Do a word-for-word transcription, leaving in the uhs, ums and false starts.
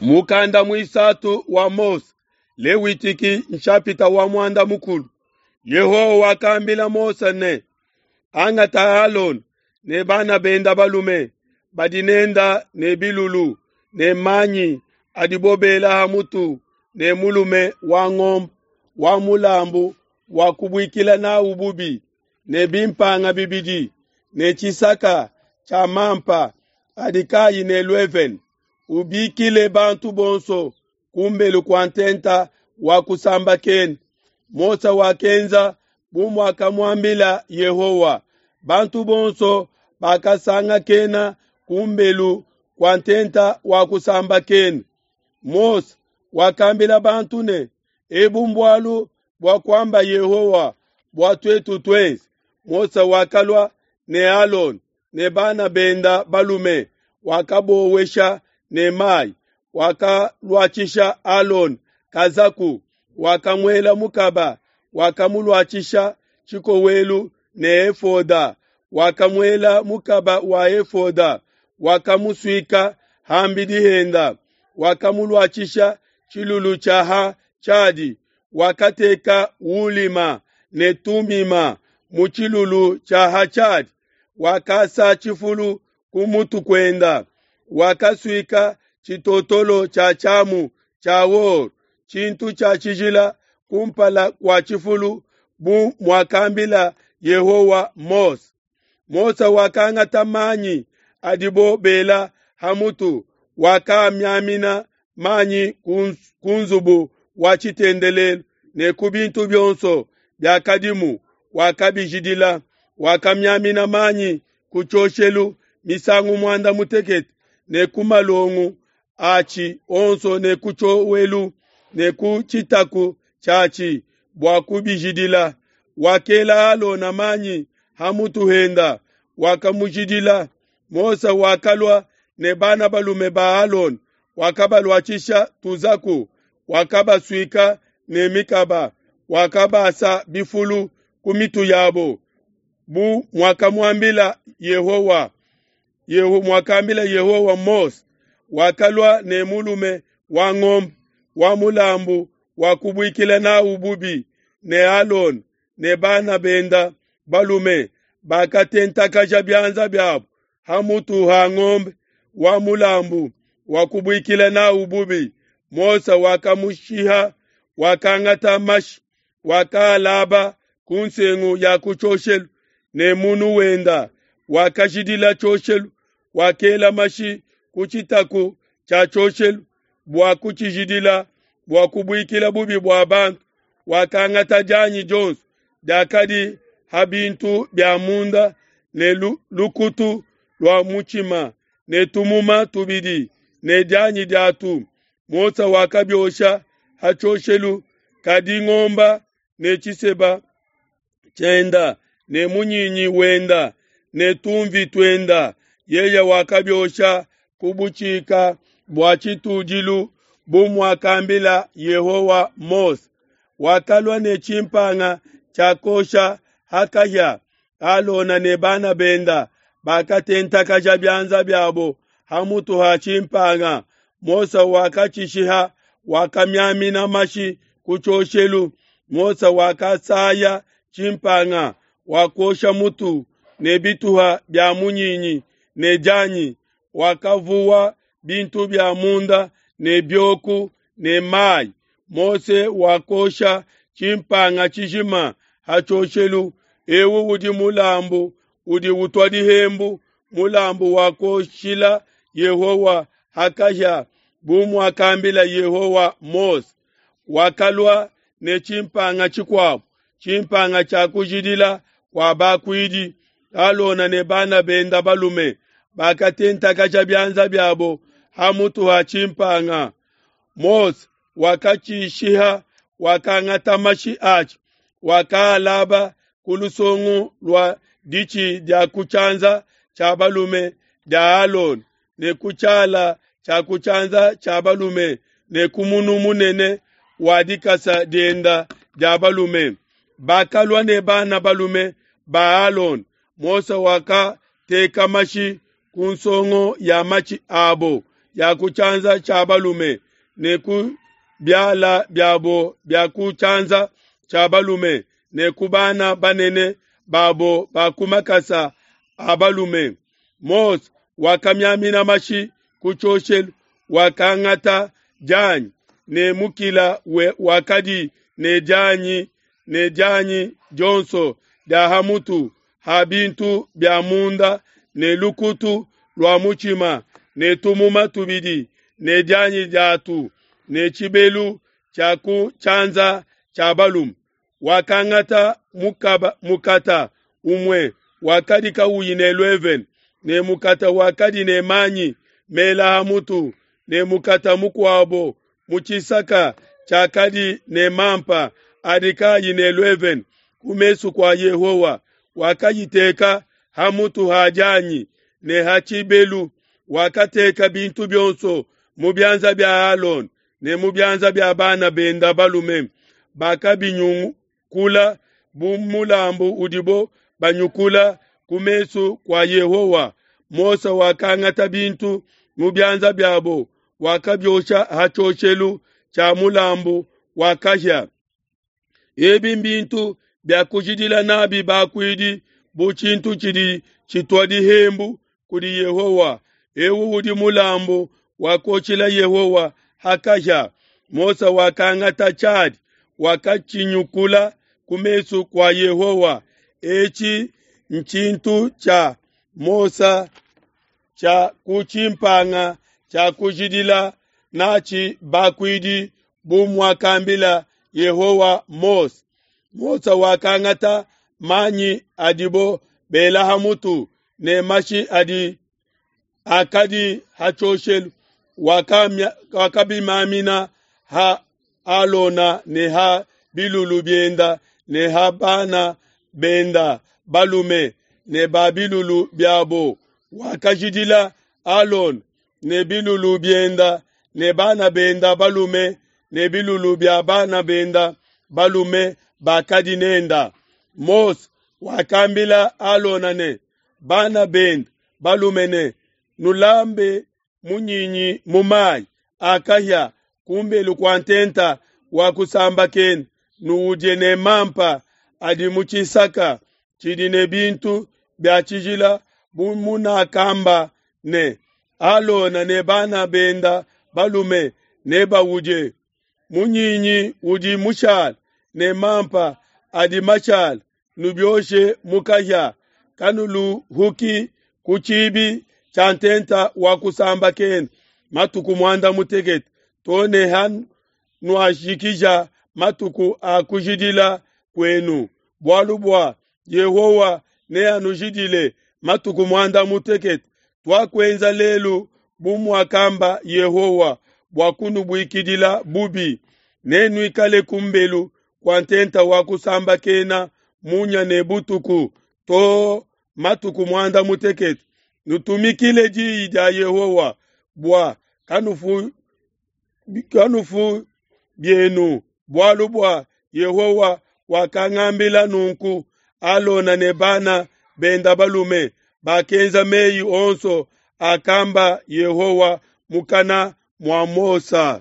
Mukanda muisatu wa Mose, Lewitiki nshapita wa muanda mukulu. Yehowa wakambila Mose ne, angata Alona ne bana benda balume badi nenda ne bilulu ne manyi adibo bela ha mutu ne mulume wa ngombe wa mulambu wa kubuikila nawu bubi ne bimpanga bibidi ne tshisaka tshia mampa adi kayi ne luevene. Ubikile bantu bonso kumbelu kua ntenta wa kusambakena. Mose wakenza bu muakamuambila Yehowa. Bantu bonso bakasangakena kumbelu kua ntenta wa kusambakena. Mose wakambila bantu ne, ebu mbualu bua kuamba Yehowa bua tuetu tuenze. Mose wakalua ne Alona ne bana benda balume, wakabowesha ne mayi, wakaluatshisha Alona kazaku, wakamuela mukaba, wakamuluatshisha tshikowelu ne efoda, wakamuela mukaba wa efoda, wakamusuika hambidi henda, wakamuluatshisha tshilulu tshia ha tshiadi, wakateka ulima ne tumima mu tshilulu tshia ha tshiadi, wakasa tshifulu ku mutu kuenda, wakasuika tshitotolo tshia tshiamu tshia or, tshintu tshia tshijila kumpala kua tshifulu, bu muakambila Yehowa Mose. Mose wakangata manyi adibo bela ha mutu, wakamiamina manyi ku nzubu wa tshitendelelu ne ku bintu bionso biakadimu, wakabijidila. Wakamiamina manyi ku tshioshelu misangu muanda mutekete ne ku malongo atshi onso ne ku tshiowelu ne ku tshitaku tshiatshi bua kubijidila. Wakela Alona manyi ha mutu henda, wakamujidila. Mose wakalua ne bana balume ba Alona, wakabaluatshisha tuzaku, wakabasuika ne mikaba, wakabasa bifulu ku mitu yabo, bu muakamuambila Yehowa. Yeho muakambila Yehowa Mose. Wakalua ne mulume wa ngombe wa mulambu wa kubuikila nawu bubi ne Alona ne bana benda balume bakatentakaja bianza biabo ha mutu ha ngombe wa mulambu wa kubuikila nawu bubi. Mose wakamushiha, wakangata mashi, wakalaba ku nsengu ya ku tshioshelu ne munu wenda, wakajidila tshioshelu, wakela mashi ku tshitaku tshia tshioshelu bua kutshijidila, bua kubuikila bubi bua bantu. Wakangata dianyi dionso diakadi ha bintu bia munda ne lukutu lua mutshima ne tumuma tubidi ne dianyi diatu. Mose wakabiosha ha tshioshelu, kadi ngomba ne tshiseba tshienda ne munyinyi wenda ne tumvi tuenda, yeye wakabiosha ku butshika bua tshitudilu bu muakambila Yehowa Mose. Wakalua ne tshimpanga tshiakosha ha kahia. Alona ne bana benda bakatentakaja bianza biabo ha mutu ha tshimpanga. Mose wakatshishiha, wakamiamina mashi ku tshioshelu. Mose wakasaya tshimpanga, wakosha mutu ne bituha bia munyinyi ne dianyi, wakavuwa bintu bia munda ne bioku ne mayi. Mose wakosha tshimpanga tshijima ha tshioshelu. Ewu udi mulambu udi utua dihembu, mulambu wa kuoshila Yehowa ha kahia, bu muakambila Yehowa Mose. Wakalua ne tshimpanga tshikuabo, tshimpanga tshia kujidila kua bakuidi. Alona ne bana benda balume bakatentakaja bianza biabo ha mutu ha tshimpanga. Mose wakatshishiha, wakangata mashi atshi, wakaalaba ku lusongo lua ditshi dia ku tshianza tshia balume dia Alona ne ku tshiala tshia ku tshianza tshia balume ne ku munu munene wa dikasa dienda dia balume. Bakalua ne bana balume ba Alona. Mose wakateka mashi ku nsongo ya matshi abo, dia ku tshianza tshia balume ne ku biala biabo bia ku tshianza tshia balume ne ku bana banene babo ba ku makasa a balume. Mose wakamiamina mashi ku tshioshelu, wakangata dianyi ne mukila wakadi ne dianyi ne dianyi dionso dia ha mutu ha bintu bia munda ne lukutu lua mutshima ne tumuma tubidi ne dianyi diatu ne tshibelu tshia ku tshianza tshia balume. Wakangata mukaba, mukata umue wakadi kawuyi ne luevene ne mukata wakadi ne manyi mela ha mutu ne mukata mukuabo mu tshisaka tshiakadi ne mampa adi kayi ne luevene ku mesu kua Yehowa. Wakayiteka ha mutu ha dianyi ne ha tshibelu. Wakateka bintu bionso mu bianza bia Alona ne mu bianza bia bana benda balume, bakabinyukula bu mulambu udibo banyukula ku mesu kua Yehowa. Mose wakangata bintu mu bianza biabo, wakabiosha ha tshioshelu tshia mulambu wa kahia. Ebi mbintu bia kujidila nabi bakuidi bu tshintu tshidi tshitua dihembu kudi Yehowa. Ewu udi mulambu wa kuoshila Yehowa ha kahia. Mose wakangata tshiadi, wakatshinyukula ku mesu kua Yehowa. Etshi ntshintu tshia Mose tshia ku tshimpanga tshia kujidila natshi bakuidi bu muakambila Yehowa Mose. Mose wakangata manyi adibo bela ha mutu ne mashi adi akadi ha tshioshelu, wakabimamina ha Alona ne ha bilulu bienda ne ha bana benda balume ne ba bilulu biabo. Wakajidila Alona ne bilulu bienda ne bana benda balume ne bilulu bia bana benda balume bakadi nenda. Mose wakambila Alona ne bana benda balume ne, nulambe munyinyi mu mayi a kahia kumbelu kua ntenta wa kusambakena, nuudie ne mampa adi mu tshisaka tshidi ne bintu bia tshijila bu munakamba ne, Alona ne bana benda balume nebaudie. Munyinyi udi mushale ne mampa adi mashale nubioshe mu kahia, kanuluhuki ku tshibi tshia ntenta wa kusambakena matuku muanda mutekete too ne hanuajikija matuku a kujidila kuenu, bualu bua Yehowa neanujidile matuku muanda mutekete. Tuakuenza lelu bu muakamba Yehowa bua kunubuikidila bubi. Nenuikale kumbelu kua ntenta wa kusambakena munya ne butuku too matuku muanda mutekete. Nutumikile diyi dia Yehowa bua kanufu, kanufu bienu, bualu bua Yehowa wakangambila nunku. Alona ne bana benda balume bakenza meyi onso akamba Yehowa mukana mua Mose.